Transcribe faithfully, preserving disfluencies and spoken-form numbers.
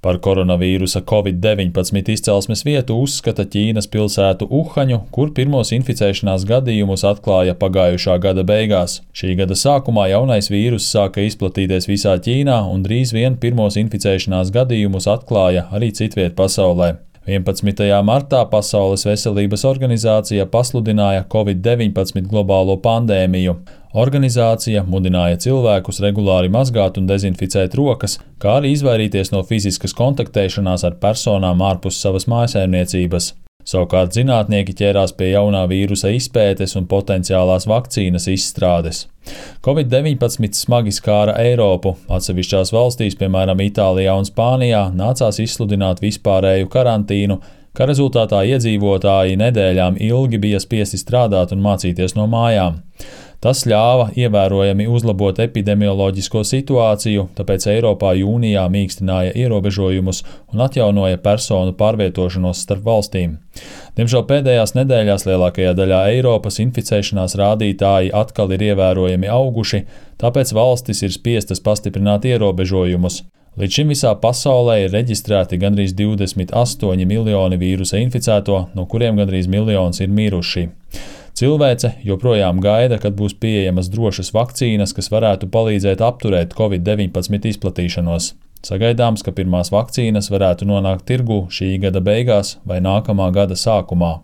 Par koronavīrusa covid deviņpadsmit izcelsmes vietu uzskata Ķīnas pilsētu Uhaņu, kur pirmos inficēšanās gadījumus atklāja pagājušā gada beigās. Šī gada sākumā jaunais vīrus sāka izplatīties visā Ķīnā un drīz vien pirmos inficēšanās gadījumus atklāja arī citviet pasaulē. vienpadsmitajā martā Pasaules veselības organizācija pasludināja covid deviņpadsmit globālo pandēmiju. Organizācija mudināja cilvēkus regulāri mazgāt un dezinficēt rokas, kā arī izvairīties no fiziskas kontaktēšanās ar personām ārpus savas mājsaimniecības. Savukārt zinātnieki ķērās pie jaunā vīrusa izpētes un potenciālās vakcīnas izstrādes. covid deviņpadsmit smagi skāra Eiropu. Atsevišķās valstīs, piemēram Itālijā un Spānijā, nācās izsludināt vispārēju karantīnu, kā rezultātā iedzīvotāji nedēļām ilgi bija spiesti strādāt un mācīties no mājām. Tas ļāva ievērojami uzlabot epidemioloģisko situāciju, tāpēc Eiropā jūnijā mīkstināja ierobežojumus un atjaunoja personu pārvietošanos starp valstīm. Diemžēl pēdējās nedēļās lielākajā daļā Eiropas inficēšanās rādītāji atkal ir ievērojami auguši, tāpēc valstis ir spiestas pastiprināt ierobežojumus. Līdz šim visā pasaulē ir reģistrēti gandrīz divdesmit astoņi miljoni vīrusa inficēto, no kuriem gandrīz miljons ir miruši. Cilvēce joprojām gaida, kad būs pieejamas drošas vakcīnas, kas varētu palīdzēt apturēt covid deviņpadsmit izplatīšanos. Sagaidāms, ka pirmās vakcīnas varētu nonākt tirgū šī gada beigās vai nākamā gada sākumā.